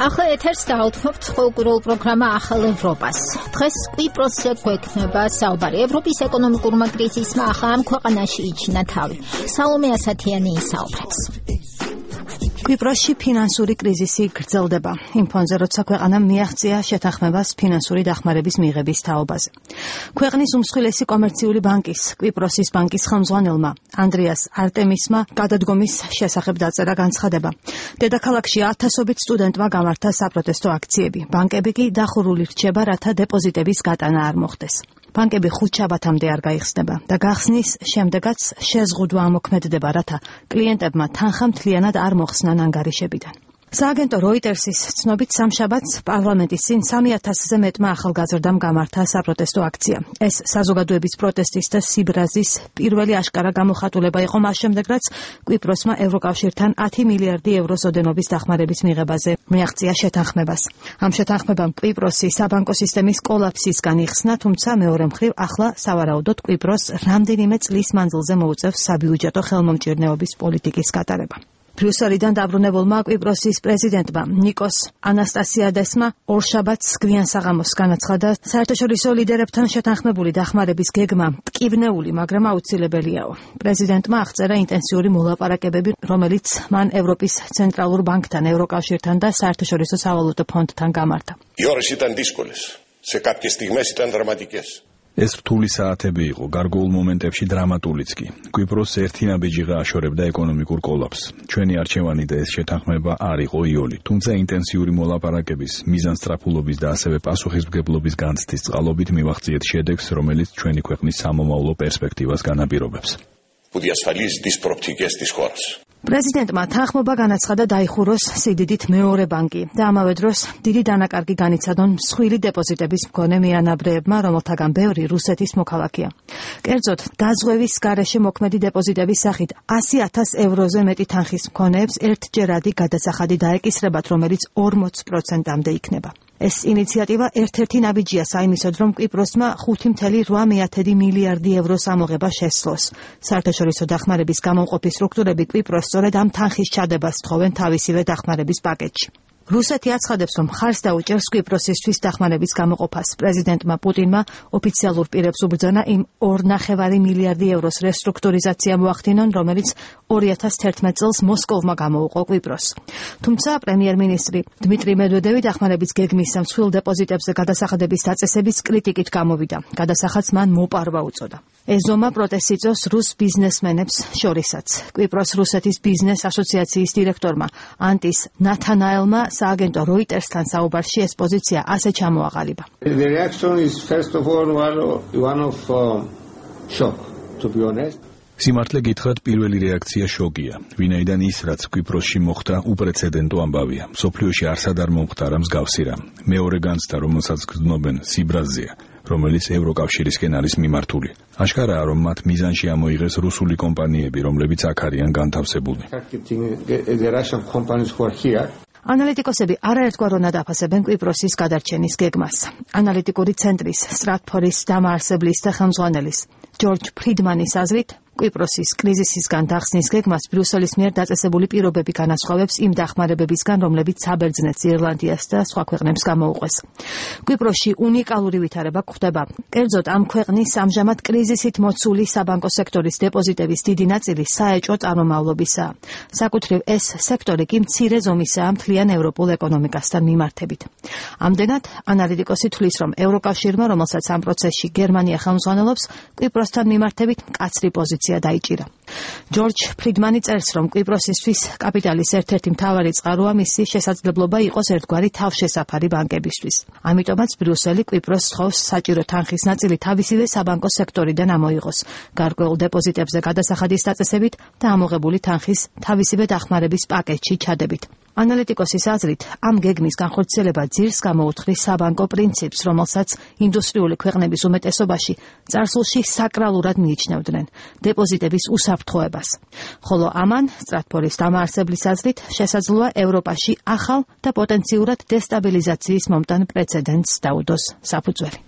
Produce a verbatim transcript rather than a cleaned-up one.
ახლა ეთერს დაუთმობთ ყოველკვირეულ პროგრამა ახალ ევროპას. დღეს კვიპროსზე გვექნება საუბარი ევროპის ეკონომიკურმა კრიზისმა ახლა ამ ქვეყანაში იჩინა თავი. სალომე ასათიანი ისაუბრებს. კვიპროსში ფინანსური კრიზისი გრძელდება. იმ ფონზე, როცა ქვეყანამ მიაღწია შეთანხმებას ფინანსური დახმარების მიღების თაობაზე. ქვეყნის უმსხვილესი კომერციული ბანკის, კვიპროსის ბანკის ხელმძღვანელმა ანდრიას არტემისმა გადადგომის შესახებ დაწერა განცხადება. დედაქალაქში ათასობით სტუდენტმა გამართა საპროტესტო აქციები. ბანკები კი დახურული რჩება, რათა დეპოზიტების გატანა არ მოხდეს. ბანკები ხუთ შაბათამდე არ გაიხსნება და გახსნის შემდეგაც შეზღუდვა ამოქმედდება, რათა კლიენტებმა თანხა მთლიანად არ მოხსნან ანგარიშებიდან. სააგენტო როიტერსის ცნობით სამშაბათს პარლამენტის წინ სამი ათასზე მეტმა ახალგაზრდამ გამართა საპროტესტო აქცია. ეს საზოგადოების პროტესტის და სიბრაზის პირველი აშკარა გამოხატულება იყო მას შემდეგ, რაც კვიპროსმა ევროკავშირთან ათი მილიარდი ევროს ოდენობის დახმარების მიღებაზე მიაღწია შეთანხმებას. ამ შეთანხმებამ კვიპროსი საბანკო სისტემის კოლაფსისგან იხსნა, თუმცა მეორე მხრივ ახლა სავარაუდოდ კვიპროსს რამდენიმე წლის მანძილზე მოუწევს საბიუჯეტო ხელმომჭირნეობის პოლიტიკის გატარება. ბრიუსელიდან დაბრუნებულმა კვიპროსის პრეზიდენტმა ნიკოს ანასტასიადესმა ორშაბათს გვიან საღამოს განაცხადა, საერთაშორისო ლიდერებთან შეთანხმებული დახმარების გეგმა მტკივნეული, მაგრამ აუცილებელიაო. პრეზიდენტმა აღწერა ინტენსიური მოლაპარაკებები, რომელიც მან ევროპის ცენტრალურ ბანკთან, ევროკავშირთან და საერთაშორისო სავალუტო ფონდთან გამართა. Οι ώρες ήταν δύσκολες. Σε κάποιες στιγμές ήταν δραματικές. ეს რთული საათები იყო, გარკვეულ მომენტებში დრამატულიც კი. კვიპროსს ერთი ნაბიჯიღა აშორებდა ეკონომიკურ კოლაფსს. ჩვენი არჩევანი და ეს შეთანხმება არ იყო იოლი, თუმცა ინტენსიური მოლაპარაკების, მიზანსწრაფულობის და ასევე პასუხისმგებლობის განცდის წყალობით მივახციეთ შედეგს, რომელიც ჩვენი ქვეყნის სამომავლო პერსპექტივას განაპირობებს. Που διασφαλίζει τις προοπτικές της χώρας. პრეზიდენტმა თანხმობა განაცხადა დაიხუროს სიდიდით მეორე ბანკი და ამავე დროს დიდი დანაკარგი განიცადონ მსხვილი დეპოზიტების მქონე მიანაბრეებმა, რომელთაგან ბევრი რუსეთის მოქალაქეა. კერძოდ, დაზღვევის გარეშე მოქმედი დეპოზიტების სახით ასი ათას ევროზე მეტი თანხის მქონეებს ერთჯერადი გადასახადი დაეკისრებათ, რომელიც ორმოც პროცენტამდე იქნება. ეს ინიციატივა ერთ-ერთი ნაბიჯია საიმისოდ, რომ კვიპროსმა ხუთი მცდელო რვა მილიარდი ევროს ამოღება შესძლოს. საერთაშორისო დახმარების გამომყოფი სტრუქტურები კვიპროსს სწორედ ამ თანხის ჩადებას თხოვენ თავისივე დახმარების პაკეტში. რუსეთი აცხადებს, რომ მხარს დაუჭერს კვიპროსისთვის დახმარების გამოყოფას. პრეზიდენტმა პუტინმა ოფიციალურ პირებს უბრძანა იმ ორ ნახევარი მილიარდი ევროს რესტრუქტურიზაცია მოახდინონ, რომელიც ორი ათას თერთმეტ წელს მოსკოვმა გამოუყო კვიპროსს. თუმცა პრემიერ-მინისტრი დმიტრი მედვედევი დახმარების გეგმის მსხვილ დეპოზიტებზე გადასახადების დაწესების კრიტიკით გამოვიდა. გადასახადს მან მოპარვა უწოდა. ეს ზომა პროტესტს იწვევს რუს ბიზნესმენებს შორისაც. კვიპროს რუსეთის ბიზნეს ასოციაციის დირექტორმა ანტის ნათანაელმა სააგენტო როიტერსთან საუბარში ეს პოზიცია ასე ჩამოაყალიბა. The reaction is first of all one of uh, shock, to be honest. სიმართლე გითხრათ, პირველი რეაქცია შოკია. ვინაიდან ის, რაც კვიპროსში მოხდა, უპრეცედენტო ამბავია. მსოფლიოში არსად არ მომხდარა მსგავსი რამ. მეორე განცდა, რომელსაც გრძნობენ, სიბრაზეა, რომელიც ევროკავშირისკენ არის მიმართული. აშკარაა, რომ მათ მიზანში ამოიღეს რუსული კომპანიები, რომლებიც აქ არიან განთავსებული. ანალიტიკოსები არაერთგვაროვნად აფასებენ კვიპროსის გადარჩენის გეგმას. ანალიტიკური ცენტრის სტრატფორის დამაარსებლის და ხელმძღვანელის ჯორჯ ფრიდმანის აზრით, კვიპროსის კრიზისისგან დახსნის გეგმას ბრიუსელის მიერ დაწესებული პირობები განასხვავებს იმ დახმარებებისგან, რომლებიც საბერძნეთს, ირლანდიას და სხვა ქვეყნებს გამოუყვეს. კვიპროსში უნიკალური ვითარება გვხდება. კერძოდ, ამ ქვეყნის ამჟამად კრიზისით მოცული საბანკო სექტორის დეპოზიტების დიდი ნაწილი საეჭვო წარმომავლობისაა. საკუთრივ ეს სექტორი კი მცირე ზომისაა მთლიან ევროპულ ეკონომიკასთან მიმართებით. ამდენად, ანალიტიკოსი თვლის, რომ ევროკავშირმა, რომელსაც ამ პროცესში გერმანია ხელმძღვანელობს, კვიპროსთან მიმართებით მკაცრი პოზიცია დაიჭირა. ჯორჯ ფრიდმანი წერს, რომ კვიპროსისთვის კაპიტალის ერთ-ერთი მთავარი წყაროა მისი შესაძლებლობა იყოს ერთგვარი თავშესაფარი ბანკებისთვის. ამიტომაც ბრიუსელი კვიპროსს სთხოვს საჭირო თანხის ნაწილი თავისივე საბანკო სექტორიდან ამოიღოს, გარკვეულ დეპოზიტებზე გადასახადის დაწესებით და ამოღებული თანხის თავისივე დახმარების პაკეტში ჩადებით. ანალიტიკოსის აზრით, ამ გეგმის განხორციელება ძირს გამოუთხრის საბანკო პრინციპს, რომელსაც ინდუსტრიული ქვეყნების უმეტესობაში წარსულში საკრალურად მიიჩნევდნენ დეპოზიტების უსაფრთხოებას. ხოლო ამან, სტრატფორის დამაარსებლის აზრით, შესაძლოა ევროპაში ახალ და პოტენციურად დესტაბილიზაციის მომტან პრეცედენტს დაუდოს საფუძველი.